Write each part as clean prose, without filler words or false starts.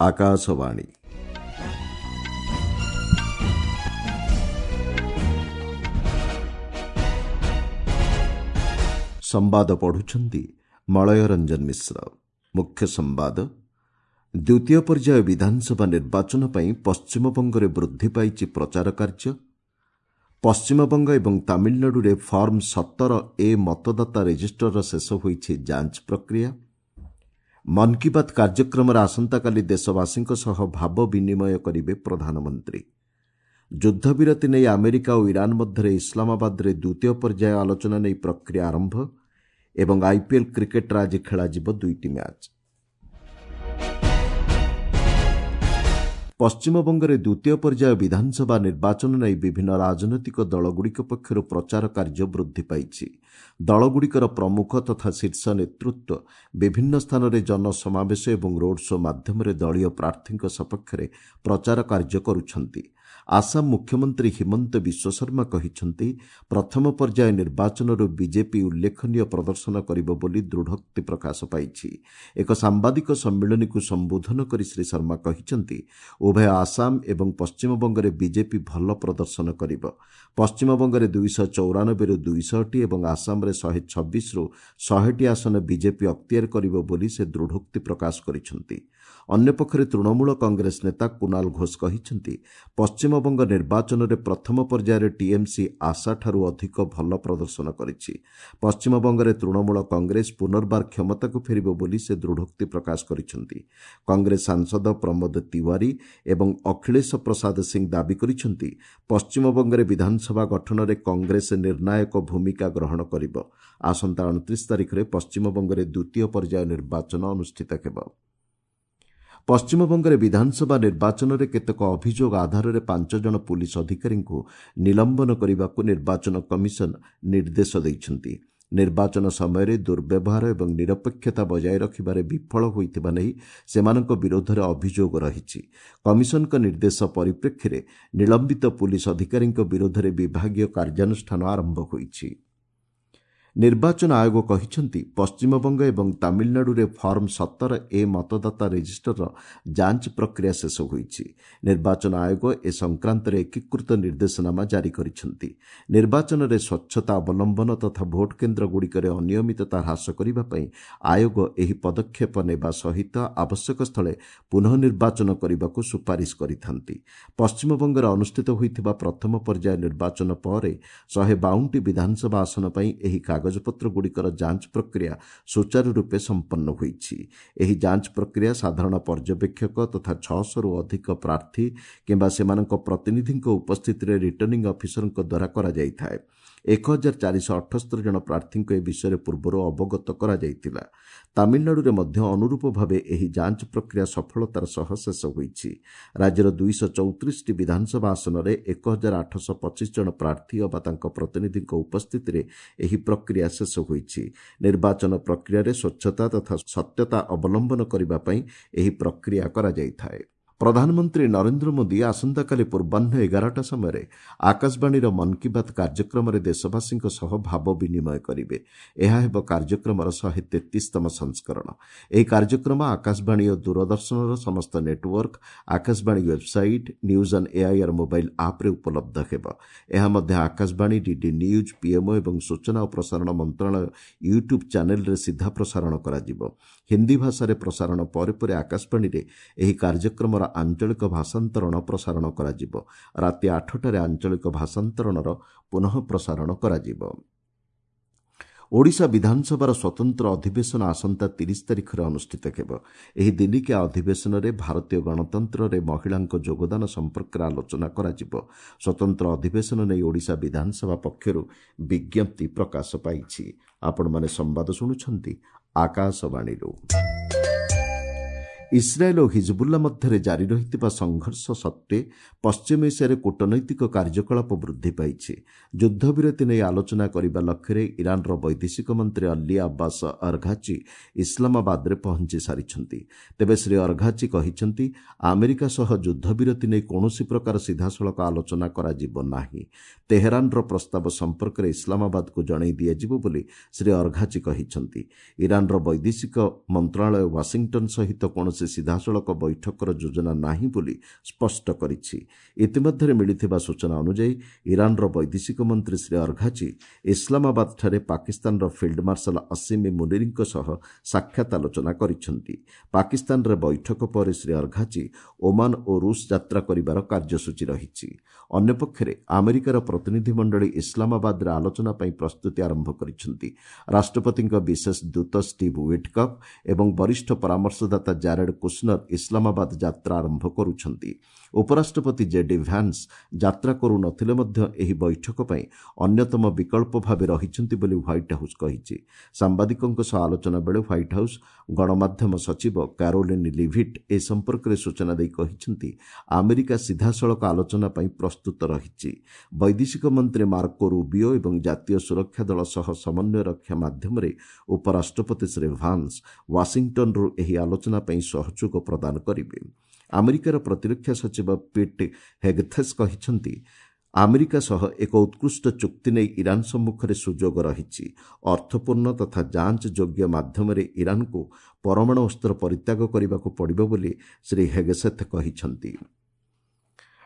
ଆକାଶବାଣୀ। ସମ୍ବାଦ ପଢୁଛନ୍ତି ମଳୟ ରଞ୍ଜନ ମିଶ୍ର। ମୁଖ୍ୟ ସମ୍ବାଦ। ଦ୍ୱିତୀୟ ପର୍ଯ୍ୟାୟ ବିଧାନସଭା ନିର୍ବାଚନ ପାଇଁ ପଶ୍ଚିମବଙ୍ଗରେ ବୃଦ୍ଧି ପାଇଛି ପ୍ରଚାର କାର୍ଯ୍ୟ। ପଶ୍ଚିମବଙ୍ଗ ଏବଂ ତାମିଲନାଡୁରେ ଫର୍ମ 17 ଏ ମତଦାତା ରେଜିଷ୍ଟରର ଶେଷ ହୋଇଛି ଯାଞ୍ଚ ପ୍ରକ୍ରିୟା। ମନ୍ କି ବାତ୍ କାର୍ଯ୍ୟକ୍ରମରେ ଆସନ୍ତାକାଲି ଦେଶବାସୀଙ୍କ ସହ ଭାବ ବିନିମୟ କରିବେ ପ୍ରଧାନମନ୍ତ୍ରୀ। ଯୁଦ୍ଧବିରତି ନେଇ ଆମେରିକା ଓ ଇରାନ ମଧ୍ୟରେ ଇସଲାମାବାଦରେ ଦ୍ୱିତୀୟ ପର୍ଯ୍ୟାୟ ଆଲୋଚନା ନେଇ ପ୍ରକ୍ରିୟା ଆରମ୍ଭ ଏବଂ ଆଇପିଏଲ୍ କ୍ରିକେଟ୍ରେ ଆଜି ଖେଳାଯିବ ଦୁଇଟି ମ୍ୟାଚ୍। ପଶ୍ଚିମବଙ୍ଗରେ ଦ୍ୱିତୀୟ ପର୍ଯ୍ୟାୟ ବିଧାନସଭା ନିର୍ବାଚନ ନେଇ ବିଭିନ୍ନ ରାଜନୈତିକ ଦଳଗୁଡ଼ିକ ପକ୍ଷରୁ ପ୍ରଚାର କାର୍ଯ୍ୟ ବୃଦ୍ଧି ପାଇଛି। ଦଳଗୁଡ଼ିକର ପ୍ରମୁଖ ତଥା ଶୀର୍ଷ ନେତୃତ୍ୱ ବିଭିନ୍ନ ସ୍ଥାନରେ ଜନସମାବେଶ ଏବଂ ରୋଡ୍ ଶୋ ମାଧ୍ୟମରେ ଦଳୀୟ ପ୍ରାର୍ଥୀଙ୍କ ସପକ୍ଷରେ ପ୍ରଚାର କାର୍ଯ୍ୟ କରୁଛନ୍ତି। ଆସାମ ମୁଖ୍ୟମନ୍ତ୍ରୀ ହିମନ୍ତ ବିଶ୍ୱଶର୍ମା କହିଛନ୍ତି, ପ୍ରଥମ ପର୍ଯ୍ୟାୟ ନିର୍ବାଚନରୁ ବିଜେପି ଉଲ୍ଲେଖନୀୟ ପ୍ରଦର୍ଶନ କରିବ ବୋଲି ଦୃଢ଼ୋକ୍ତି ପ୍ରକାଶ ପାଇଛି। ଏକ ସାମ୍ବାଦିକ ସମ୍ମିଳନୀକୁ ସମ୍ବୋଧନ କରି ଶ୍ରୀ ଶର୍ମା କହିଛନ୍ତି, ଉଭୟ ଆସାମ ଏବଂ ପଶ୍ଚିମବଙ୍ଗରେ ବିଜେପି ଭଲ ପ୍ରଦର୍ଶନ କରିବ। ପଶ୍ଚିମବଙ୍ଗରେ 294ରୁ 200ଟି ଏବଂ ଆସାମରେ 126ରୁ 100ଟି ଆସନ ବିଜେପି ଅକ୍ତିଆର କରିବ ବୋଲି ସେ ଦୃଢ଼ୋକ୍ତି ପ୍ରକାଶ କରିଛନ୍ତି। ଅନ୍ୟପକ୍ଷରେ ତୃଣମୂଳ କଂଗ୍ରେସ ନେତା କୁନାଲ ଘୋଷ କହିଛନ୍ତି, ପଶ୍ଚିମବଙ୍ଗ ନିର୍ବାଚନରେ ପ୍ରଥମ ପର୍ଯ୍ୟାୟରେ ଟିଏମ୍ସି ଆଶାଠାରୁ ଅଧିକ ଭଲ ପ୍ରଦର୍ଶନ କରିଛି। ପଶ୍ଚିମବଙ୍ଗରେ ତୃଣମୂଳ କଂଗ୍ରେସ ପୁନର୍ବାର କ୍ଷମତାକୁ ଫେରିବ ବୋଲି ସେ ଦୃଢ଼ୋକ୍ତି ପ୍ରକାଶ କରିଛନ୍ତି। କଂଗ୍ରେସ ସାଂସଦ ପ୍ରମୋଦ ତିୱାରୀ ଏବଂ ଅଖିଳେଶ ପ୍ରସାଦ ସିଂ ଦାବି କରିଛନ୍ତି, ପଶ୍ଚିମବଙ୍ଗରେ ବିଧାନସଭା ଗଠନରେ କଂଗ୍ରେସ ନିର୍ଣ୍ଣାୟକ ଭୂମିକା ଗ୍ରହଣ କରିବ। ଆସନ୍ତା 29 ତାରିଖରେ ପଶ୍ଚିମବଙ୍ଗରେ ଦ୍ୱିତୀୟ ପର୍ଯ୍ୟାୟ ନିର୍ବାଚନ ଅନୁଷ୍ଠିତ ହେବ। ପଶ୍ଚିମବଙ୍ଗରେ ବିଧାନସଭା ନିର୍ବାଚନରେ କେତେକ ଅଭିଯୋଗ ଆଧାରରେ 5 ଜଣ ପୁଲିସ ଅଧିକାରୀଙ୍କୁ ନିଲମ୍ବନ କରିବାକୁ ନିର୍ବାଚନ କମିଶନ ନିର୍ଦ୍ଦେଶ ଦେଇଛନ୍ତି। ନିର୍ବାଚନ ସମୟରେ ଦୁର୍ବ୍ୟବହାର ଏବଂ ନିରପେକ୍ଷତା ବଜାୟ ରଖିବାରେ ବିଫଳ ହୋଇଥିବା ନେଇ ସେମାନଙ୍କ ବିରୋଧରେ ଅଭିଯୋଗ ରହିଛି। କମିଶନଙ୍କ ନିର୍ଦ୍ଦେଶ ପରିପ୍ରେକ୍ଷୀରେ ନିଲମ୍ବିତ ପୁଲିସ ଅଧିକାରୀଙ୍କ ବିରୋଧରେ ବିଭାଗୀୟ କାର୍ଯ୍ୟାନୁଷ୍ଠାନ ଆରମ୍ଭ ହୋଇଛି। ନିର୍ବାଚନ ଆୟୋଗ କହିଛନ୍ତି, ପଶ୍ଚିମବଙ୍ଗ ଏବଂ ତାମିଲନାଡୁରେ ଫର୍ମ 17 ଏ ମତଦାତା ରେଜିଷ୍ଟରର ଯାଞ୍ଚ ପ୍ରକ୍ରିୟା ଶେଷ ହୋଇଛି। ନିର୍ବାଚନ ଆୟୋଗ ଏ ସଂକ୍ରାନ୍ତରେ ଏକୀକୃତ ନିର୍ଦ୍ଦେଶନାମା ଜାରି କରିଛନ୍ତି। ନିର୍ବାଚନରେ ସ୍ୱଚ୍ଛତା ଅବଲମ୍ବନ ତଥା ଭୋଟ କେନ୍ଦ୍ରଗୁଡ଼ିକରେ ଅନିୟମିତତା ହ୍ରାସ କରିବା ପାଇଁ ଆୟୋଗ ଏହି ପଦକ୍ଷେପ ନେବା ସହିତ ଆବଶ୍ୟକ ସ୍ଥଳେ ପୁନଃ ନିର୍ବାଚନ କରିବାକୁ ସୁପାରିଶ କରିଥାନ୍ତି। ପଶ୍ଚିମବଙ୍ଗରେ ଅନୁଷ୍ଠିତ ହୋଇଥିବା ପ୍ରଥମ ପର୍ଯ୍ୟାୟ ନିର୍ବାଚନ ପରେ 152ଟି ବିଧାନସଭା ଆସନ ପାଇଁ ଏହି କାଗଜପତ୍ରଗୁଡ଼ିକର ଯାଞ୍ଚ ପ୍ରକ୍ରିୟା ସୁଚାରୁ ରୂପେ ସମ୍ପନ୍ନ ହୋଇଛି। ଏହି ଯାଞ୍ଚ ପ୍ରକ୍ରିୟା ସାଧାରଣ ପର୍ଯ୍ୟବେକ୍ଷକ ତଥା 600ରୁ ଅଧିକ ପ୍ରାର୍ଥୀ କିମ୍ବା ସେମାନଙ୍କ ପ୍ରତିନିଧିଙ୍କ ଉପସ୍ଥିତିରେ ରିଟର୍ଣ୍ଣିଂ ଅଫିସରଙ୍କ ଦ୍ୱାରା କରାଯାଇଥାଏ। 1478 ଜଣ ପ୍ରାର୍ଥୀଙ୍କୁ ଏ ବିଷୟରେ ପୂର୍ବରୁ ଅବଗତ କରାଯାଇଥିଲା। ତାମିଲନାଡୁରେ ମଧ୍ୟ ଅନୁରୂପ ଭାବେ ଏହି ଯାଞ୍ଚ ପ୍ରକ୍ରିୟା ସଫଳତାର ସହ ଶେଷ ହୋଇଛି। ରାଜ୍ୟର 234ଟି ବିଧାନସଭା ଆସନରେ 1825 ଜଣ ପ୍ରାର୍ଥୀ ଅବା ତାଙ୍କ ପ୍ରତିନିଧିଙ୍କ ଉପସ୍ଥିତିରେ ଏହି ପ୍ରକ୍ରିୟା ଶେଷ ହୋଇଛି। ନିର୍ବାଚନ ପ୍ରକ୍ରିୟାରେ ସ୍ୱଚ୍ଛତା ତଥା ସତ୍ୟତା ଅବଲମ୍ବନ କରିବା ପାଇଁ ଏହି ପ୍ରକ୍ରିୟା କରାଯାଇଥାଏ। ପ୍ରଧାନମନ୍ତ୍ରୀ ନରେନ୍ଦ୍ର ମୋଦି ଆସନ୍ତାକାଲି ପୂର୍ବାହ୍ନ 11ଟା ସମୟରେ ଆକାଶବାଣୀର ମନ୍ କି ବାତ୍ କାର୍ଯ୍ୟକ୍ରମରେ ଦେଶବାସୀଙ୍କ ସହ ଭାବ ବିନିମୟ କରିବେ। ଏହା ହେବ କାର୍ଯ୍ୟକ୍ରମର 133ତମ ସଂସ୍କରଣ। ଏହି କାର୍ଯ୍ୟକ୍ରମ ଆକାଶବାଣୀ ଓ ଦୂରଦର୍ଶନର ସମସ୍ତ network, Akashvani website, news on AIR mobile ଆପ୍ରେ ଉପଲବ୍ଧ ହେବ। ଏହା ମଧ୍ୟ ଆକାଶବାଣୀ, ଡିଡି ନ୍ୟୁଜ୍, ପିଏମ୍ଓ ଏବଂ ସୂଚନା ଓ ପ୍ରସାରଣ ମନ୍ତ୍ରଣାଳୟ ୟୁଟ୍ୟୁବ୍ ଚ୍ୟାନେଲ୍ରେ ସିଧା ପ୍ରସାରଣ କରାଯିବ। ହିନ୍ଦୀ ଭାଷାରେ ପ୍ରସାରଣ ପରେ ପରେ ଆକାଶବାଣୀରେ ଏହି କାର୍ଯ୍ୟକ୍ରମର ଆଞ୍ଚଳିକ ଭାଷାନ୍ତରଣ ପ୍ରସାରଣ କରାଯିବ। ରାତି 8ଟାରେ ଆଞ୍ଚଳିକ ଭାଷାନ୍ତରଣର ପୁନଃ ପ୍ରସାରଣ କରାଯିବ। ଓଡ଼ିଶା ବିଧାନସଭାର ସ୍ୱତନ୍ତ୍ର ଅଧିବେଶନ ଆସନ୍ତା 30 ତାରିଖରେ ଅନୁଷ୍ଠିତ ହେବ। ଏହି ଦିନିକିଆ ଅଧିବେଶନରେ ଭାରତୀୟ ଗଣତନ୍ତ୍ରରେ ମହିଳାଙ୍କ ଯୋଗଦାନ ସମ୍ପର୍କରେ ଆଲୋଚନା କରାଯିବ। ସ୍ୱତନ୍ତ୍ର ଅଧିବେଶନ ନେଇ ଓଡ଼ିଶା ବିଧାନସଭା ପକ୍ଷରୁ ବିଜ୍ଞପ୍ତି ପ୍ରକାଶ ପାଇଛି। ଆପଣମାନେ ସମ୍ବାଦ ଶୁଣୁଛନ୍ତି ଆକାଶବାଣୀରୁ। ଇସ୍ରାଏଲ୍ ଓ ହିଜବୁଲ୍ଲା ମଧ୍ୟରେ ଜାରି ରହିଥିବା ସଂଘର୍ଷ ସତ୍ତ୍ୱେ ପଶ୍ଚିମ ଏସିଆରେ କୂଟନୈତିକ କାର୍ଯ୍ୟକଳାପ ବୃଦ୍ଧି ପାଇଛି। ଯୁଦ୍ଧବିରତି ନେଇ ଆଲୋଚନା କରିବା ଲକ୍ଷ୍ୟରେ ଇରାନର ବୈଦେଶିକ ମନ୍ତ୍ରୀ ଅଲ୍ଲୀ ଆବ୍ବାସ ଅର୍ଘାଚି ଇସଲାମାବାଦରେ ପହଞ୍ଚି ସାରିଛନ୍ତି। ତେବେ ଶ୍ରୀ ଅର୍ଘାଚି କହିଛନ୍ତି, ଆମେରିକା ସହ ଯୁଦ୍ଧବିରତି ନେଇ କୌଣସି ପ୍ରକାର ସିଧାସଳଖ ଆଲୋଚନା କରାଯିବ ନାହିଁ। ତେହେରାନର ପ୍ରସ୍ତାବ ସମ୍ପର୍କରେ ଇସଲାମାବାଦକୁ ଜଣାଇ ଦିଆଯିବ ବୋଲି ଶ୍ରୀ ଅର୍ଘାଚି କହିଛନ୍ତି। ଇରାନର ବୈଦେଶିକ ମନ୍ତ୍ରଣାଳୟ ୱାଶିଂଟନ୍ ସହିତ କୌଣସି କୌଣସି ସିଧାସଳଖ ବୈଠକର ଯୋଜନା ନାହିଁ ବୋଲି ସ୍ପଷ୍ଟ କରିଛି। ଇତିମଧ୍ୟରେ ମିଳିଥିବା ସୂଚନା ଅନୁଯାୟୀ ଇରାନର ବୈଦେଶିକ ମନ୍ତ୍ରୀ ଶ୍ରୀ ଅର୍ଘାଚି ଇସଲାମାବାଦଠାରେ ପାକିସ୍ତାନର ଫିଲ୍ଡ ମାର୍ଶାଲ ଅସିମି ମୁନିରଙ୍କ ସହ ସାକ୍ଷାତ ଆଲୋଚନା କରିଛନ୍ତି। ପାକିସ୍ତାନରେ ବୈଠକ ପରେ ଶ୍ରୀ ଅର୍ଘାଚି ଓମାନ ଓ ରୁଷ ଯାତ୍ରା କରିବାର କାର୍ଯ୍ୟସୂଚୀ ରହିଛି। ଅନ୍ୟପକ୍ଷରେ ଆମେରିକାର ପ୍ରତିନିଧିମଣ୍ଡଳୀ ଇସଲାମାବାଦରେ ଆଲୋଚନା ପାଇଁ ପ୍ରସ୍ତୁତି ଆରମ୍ଭ କରିଛନ୍ତି। ରାଷ୍ଟ୍ରପତିଙ୍କ ବିଶେଷ ଦୂତ ଷ୍ଟିଭ୍ ୱିଟକଫ୍ ଏବଂ ବରିଷ୍ଠ ପରାମର୍ଶଦାତା ଜାରେଡ୍ କୁଶନର ଇସଲାମାବାଦ ଯାତ୍ରା ଆରମ୍ଭ କରୁଛନ୍ତି। ଉପରାଷ୍ଟ୍ରପତି ଜେଡି ଭ୍ୟାନ୍ସ ଯାତ୍ରା କରୁନଥିଲେ ମଧ୍ୟ ଏହି ବୈଠକ ପାଇଁ ଅନ୍ୟତମ ବିକଳ୍ପ ଭାବେ ରହିଛନ୍ତି ବୋଲି ହ୍ୱାଇଟ୍ ହାଉସ୍ କହିଛି। ସାମ୍ବାଦିକଙ୍କ ସହ ଆଲୋଚନା ବେଳେ ହ୍ୱାଇଟ୍ ହାଉସ୍ ଗଣମାଧ୍ୟମ ସଚିବ କାରୋଲିନ୍ ଲିଭିଟ୍ ଏ ସମ୍ପର୍କରେ ସୂଚନା ଦେଇ କହିଛନ୍ତି, ଆମେରିକା ସିଧାସଳଖ ଆଲୋଚନା ପାଇଁ ପ୍ରସ୍ତୁତ ରହିଛି। ବୈଦେଶିକ ମନ୍ତ୍ରୀ ମାର୍କୋ ରୁବିଓ ଏବଂ ଜାତୀୟ ସୁରକ୍ଷା ଦଳ ସହ ସମନ୍ୱୟ ରକ୍ଷା ମାଧ୍ୟମରେ ଉପରାଷ୍ଟ୍ରପତି ଶ୍ରୀ ଭାନ୍ସ ୱାଶିଂଟନ୍ରୁ ଏହି ଆଲୋଚନା ପାଇଁ ସହଯୋଗ ପ୍ରଦାନ କରିବେ। ଆମେରିକାର ପ୍ରତିରକ୍ଷା ସଚିବ ପିଟ୍ ହେଗଥେସ୍ କହିଛନ୍ତି, ଆମେରିକା ସହ ଏକ ଉତ୍କୃଷ୍ଟ ଚୁକ୍ତି ନେଇ ଇରାନ ସମ୍ମୁଖରେ ସୁଯୋଗ ରହିଛି। ଅର୍ଥପୂର୍ଣ୍ଣ ତଥା ଯାଞ୍ଚ ଯୋଗ୍ୟ ମାଧ୍ୟମରେ ଇରାନକୁ ପରମାଣୁ ଅସ୍ତ୍ର ପରିତ୍ୟାଗ କରିବାକୁ ପଡ଼ିବ ବୋଲି ଶ୍ରୀ ହେଗସେଥ୍ କହିଛନ୍ତି।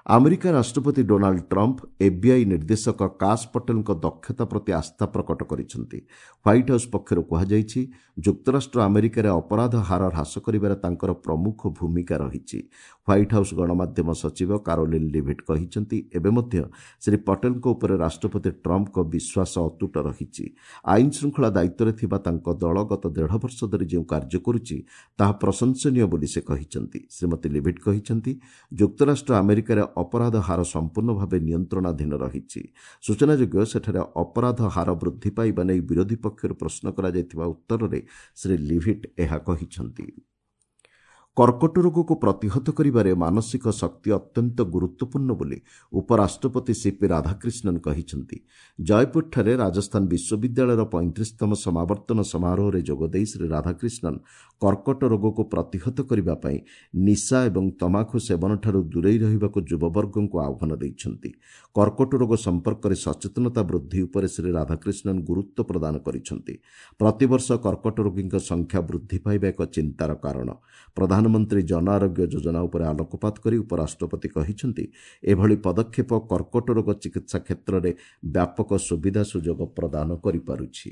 ଆମେରିକା ରାଷ୍ଟ୍ରପତି ଡୋନାଲ୍ଡ ଟ୍ରମ୍ପ ଏଫ୍ବିଆଇ ନିର୍ଦ୍ଦେଶକ କାଶ ପଟେଲଙ୍କ ଦକ୍ଷତା ପ୍ରତି ଆସ୍ଥା ପ୍ରକଟ କରିଛନ୍ତି। ହ୍ୱାଇଟ୍ ହାଉସ୍ ପକ୍ଷରୁ କୁହାଯାଇଛି, ଯୁକ୍ତରାଷ୍ଟ୍ର ଆମେରିକାରେ ଅପରାଧ ହାର ହ୍ରାସ କରିବାରେ ତାଙ୍କର ପ୍ରମୁଖ ଭୂମିକା ରହିଛି। ହ୍ୱାଇଟ୍ ହାଉସ୍ ଗଣମାଧ୍ୟମ ସଚିବ କାରୋଲିନ୍ ଲିଭିଟ୍ କହିଛନ୍ତି, ଏବେ ମଧ୍ୟ ଶ୍ରୀ ପଟେଲଙ୍କ ଉପରେ ରାଷ୍ଟ୍ରପତି ଟ୍ରମ୍ପଙ୍କ ବିଶ୍ୱାସ ଅତୁଟ ରହିଛି। ଆଇନ ଶୃଙ୍ଖଳା ଦାୟିତ୍ୱରେ ଥିବା ତାଙ୍କ ଦଳ ଗତ ଦେଢ଼ ବର୍ଷ ଧରି ଯେଉଁ କାର୍ଯ୍ୟ କରୁଛି ତାହା ପ୍ରଶଂସନୀୟ ବୋଲି ସେ କହିଛନ୍ତି। ଶ୍ରୀମତୀ ଲିଭିଟ୍ କହିଛନ୍ତି, ଯୁକ୍ତରାଷ୍ଟ୍ର ଆମେରିକାରେ ଅପରାଧ ହାର ସମ୍ପୂର୍ଣ୍ଣ ଭାବେ ନିୟନ୍ତ୍ରଣାଧୀନ ରହିଛି। ସୂଚନାଯୋଗ୍ୟ, ସେଠାରେ ଅପରାଧ ହାର ବୃଦ୍ଧି ପାଇବା ନେଇ ବିରୋଧୀ ପକ୍ଷରୁ ପ୍ରଶ୍ନ କରାଯାଇଥିବା ଉତ୍ତରରେ ଶ୍ରୀ ଲିଭିଟ୍ ଏହା କହିଛନ୍ତି। କର୍କଟ ରୋଗକୁ ପ୍ରତିହତ କରିବାରେ ମାନସିକ ଶକ୍ତି ଅତ୍ୟନ୍ତ ଗୁରୁତ୍ୱପୂର୍ଣ୍ଣ ବୋଲି ଉପରାଷ୍ଟ୍ରପତି ସିପି ରାଧାକ୍ରିଷ୍ଣନ୍ କହିଛନ୍ତି। ଜୟପୁରଠାରେ ରାଜସ୍ଥାନ ବିଶ୍ୱବିଦ୍ୟାଳୟର 35ତମ ସମାବର୍ତ୍ତନ ସମାରୋହରେ ଯୋଗଦେଇ ଶ୍ରୀ ରାଧାକ୍ରିଷ୍ଣନ୍ କର୍କଟ ରୋଗକୁ ପ୍ରତିହତ କରିବା ପାଇଁ ନିଶା ଏବଂ ତମାଖୁ ସେବନଠାରୁ ଦୂରେଇ ରହିବାକୁ ଯୁବବର୍ଗଙ୍କୁ ଆହ୍ୱାନ ଦେଇଛନ୍ତି। କର୍କଟ ରୋଗ ସମ୍ପର୍କରେ ସଚେତନତା ବୃଦ୍ଧି ଉପରେ ଶ୍ରୀ ରାଧାକ୍ରିଷ୍ଣନ୍ ଗୁରୁତ୍ୱ ପ୍ରଦାନ କରିଛନ୍ତି। ପ୍ରତିବର୍ଷ କର୍କଟ ରୋଗୀଙ୍କ ସଂଖ୍ୟା ବୃଦ୍ଧି ପାଇବା ଏକ ଚିନ୍ତାର କାରଣ। ପ୍ରଧାନମନ୍ତ୍ରୀ ଜନ ଆରୋଗ୍ୟ ଯୋଜନା ଉପରେ ଆଲୋକପାତ କରି ଉପରାଷ୍ଟ୍ରପତି କହିଛନ୍ତି, ଏଭଳି ପଦକ୍ଷେପ କର୍କଟ ରୋଗ ଚିକିତ୍ସା କ୍ଷେତ୍ରରେ ବ୍ୟାପକ ସୁବିଧା ସୁଯୋଗ ପ୍ରଦାନ କରିପାରୁଛି।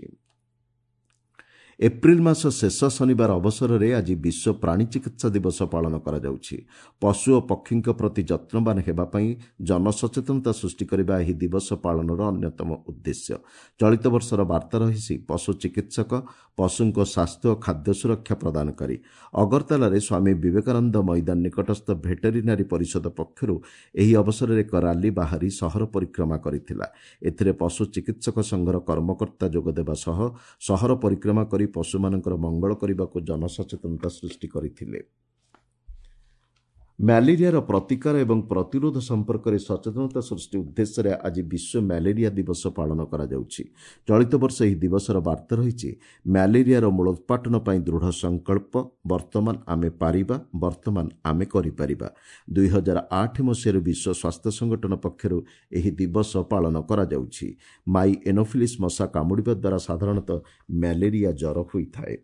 ଏପ୍ରିଲ ମାସ ଶେଷ ଶନିବାର ଅବସରରେ ଆଜି ବିଶ୍ୱ ପ୍ରାଣୀ ଚିକିତ୍ସା ଦିବସ ପାଳନ କରାଯାଉଛି। ପଶୁ ଓ ପକ୍ଷୀଙ୍କ ପ୍ରତି ଯତ୍ନବାନ ହେବା ପାଇଁ ଜନସଚେତନତା ସୃଷ୍ଟି କରିବା ଏହି ଦିବସ ପାଳନର ଅନ୍ୟତମ ଉଦ୍ଦେଶ୍ୟ। ଚଳିତ ବର୍ଷର ବାର୍ତ୍ତା ରହିଛି ପଶୁ ଚିକିତ୍ସକ ପଶୁଙ୍କ ସ୍ୱାସ୍ଥ୍ୟ ଓ ଖାଦ୍ୟ ସୁରକ୍ଷା ପ୍ରଦାନକାରୀ। ଅଗରତାଲାରେ ସ୍ୱାମୀ ବିବେକାନନ୍ଦ ମଇଦାନ ନିକଟସ୍ଥ ଭେଟେରିନାରୀ ପରିଷଦ ପକ୍ଷରୁ ଏହି ଅବସରରେ ଏକ ରାଲି ବାହାରି ସହର ପରିକ୍ରମା କରିଥିଲା। ଏଥିରେ ପଶୁ ଚିକିତ୍ସକ ସଂଘର କର୍ମକର୍ତ୍ତା ଯୋଗଦେବା ସହ ସହର ପରିକ୍ରମା କରି ପଶୁମାନଙ୍କର ମଙ୍ଗଳ କରିବାକୁ ଜନସଚେତନତା ସୃଷ୍ଟି କରିଥିଲେ। ମ୍ୟାଲେରିଆର ପ୍ରତିକାର ଏବଂ ପ୍ରତିରୋଧ ସମ୍ପର୍କରେ ସଚେତନତା ସୃଷ୍ଟି ଉଦ୍ଦେଶ୍ୟରେ ଆଜି ବିଶ୍ୱ ମ୍ୟାଲେରିଆ ଦିବସ ପାଳନ କରାଯାଉଛି। ଚଳିତ ବର୍ଷ ଏହି ଦିବସର ବାର୍ତ୍ତା ରହିଛି ମ୍ୟାଲେରିଆର ମୂଳୋତ୍ପାଟନ ପାଇଁ ଦୃଢ଼ ସଂକଳ୍ପ, ବର୍ତ୍ତମାନ ଆମେ ପାରିବା, ବର୍ତ୍ତମାନ ଆମେ କରିପାରିବା। 2008 ମସିହାରୁ ବିଶ୍ୱ ସ୍ୱାସ୍ଥ୍ୟ ସଂଗଠନ ପକ୍ଷରୁ ଏହି ଦିବସ ପାଳନ କରାଯାଉଛି। ମାଇ ଏନୋଫିଲିସ୍ ମଶା କାମୁଡ଼ିବା ଦ୍ୱାରା ସାଧାରଣତଃ ମ୍ୟାଲେରିଆ ଜ୍ୱର ହୋଇଥାଏ।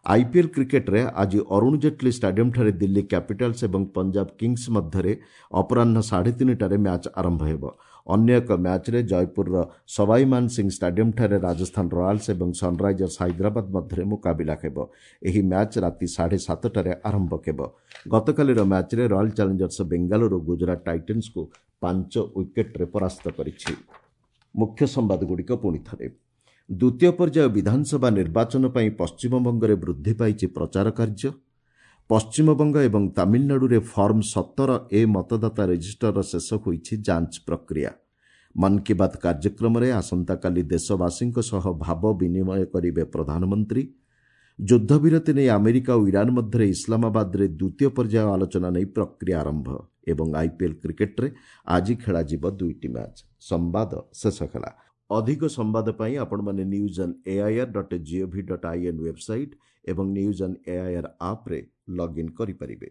ଆଇପିଏଲ୍ କ୍ରିକେଟ୍ରେ ଆଜି ଅରୁଣ ଜେଟ୍ଲୀ ଷ୍ଟାଡିୟମ୍ଠାରେ ଦିଲ୍ଲୀ କ୍ୟାପିଟାଲ୍ସ ଏବଂ ପଞ୍ଜାବ କିଙ୍ଗସ୍ ମଧ୍ୟରେ ଅପରାହ୍ନ 3:30ଟାରେ ମ୍ୟାଚ୍ ଆରମ୍ଭ ହେବ। ଅନ୍ୟ ଏକ ମ୍ୟାଚ୍ରେ ଜୟପୁରର ସବାଇ ମାନ ସିଂ ଷ୍ଟାଡିୟମ୍ଠାରେ ରାଜସ୍ଥାନ ରୟାଲ୍ସ ଏବଂ ସନ୍ରାଇଜର୍ସ ହାଇଦ୍ରାବାଦ ମଧ୍ୟରେ ମୁକାବିଲା ହେବ। ଏହି ମ୍ୟାଚ୍ ରାତି 7:30ଟାରେ ଆରମ୍ଭ ହେବ। ଗତକାଲିର ମ୍ୟାଚ୍ରେ ରୟାଲ୍ ଚ୍ୟାଲେଞ୍ଜର୍ସ ବେଙ୍ଗାଲୁରୁ ଗୁଜରାଟ ଟାଇଟନ୍ସକୁ 5 ୱିକେଟ୍ରେ ପରାସ୍ତ କରିଛି। ମୁଖ୍ୟ ସମ୍ବାଦଗୁଡ଼ିକ ପୁଣି ଥରେ। ଦ୍ୱିତୀୟ ପର୍ଯ୍ୟାୟ ବିଧାନସଭା ନିର୍ବାଚନ ପାଇଁ ପଶ୍ଚିମବଙ୍ଗରେ ବୃଦ୍ଧି ପାଇଛି ପ୍ରଚାର କାର୍ଯ୍ୟ। ପଶ୍ଚିମବଙ୍ଗ ଏବଂ ତାମିଲନାଡୁରେ ଫର୍ମ 17A ମତଦାତା ରେଜିଷ୍ଟରର ଶେଷ ହୋଇଛି ଯାଞ୍ଚ ପ୍ରକ୍ରିୟା। ମନ୍ କି ବାତ୍ କାର୍ଯ୍ୟକ୍ରମରେ ଆସନ୍ତାକାଲି ଦେଶବାସୀଙ୍କ ସହ ଭାବ ବିନିମୟ କରିବେ ପ୍ରଧାନମନ୍ତ୍ରୀ। ଯୁଦ୍ଧବିରତି ନେଇ ଆମେରିକା ଓ ଇରାନ ମଧ୍ୟରେ ଇସଲାମାବାଦରେ ଦ୍ୱିତୀୟ ପର୍ଯ୍ୟାୟ ଆଲୋଚନା ନେଇ ପ୍ରକ୍ରିୟା ଆରମ୍ଭ। ଏବଂ ଆଇପିଏଲ୍ କ୍ରିକେଟ୍ରେ ଆଜି ଖେଳାଯିବ 2ଟି ମ୍ୟାଚ୍। ସମ୍ବାଦ ଶେଷ ହେଲା। ଅଧିକ ସମ୍ବାଦ ପାଇଁ ଆପଣମାନେ news on air.gov.in website ଏବଂ ନ୍ୟୁଜ୍ ଅନ୍ ଏଆଇଆର୍ ଆପ୍ରେ ଲଗ୍ଇନ୍ କରିପାରିବେ।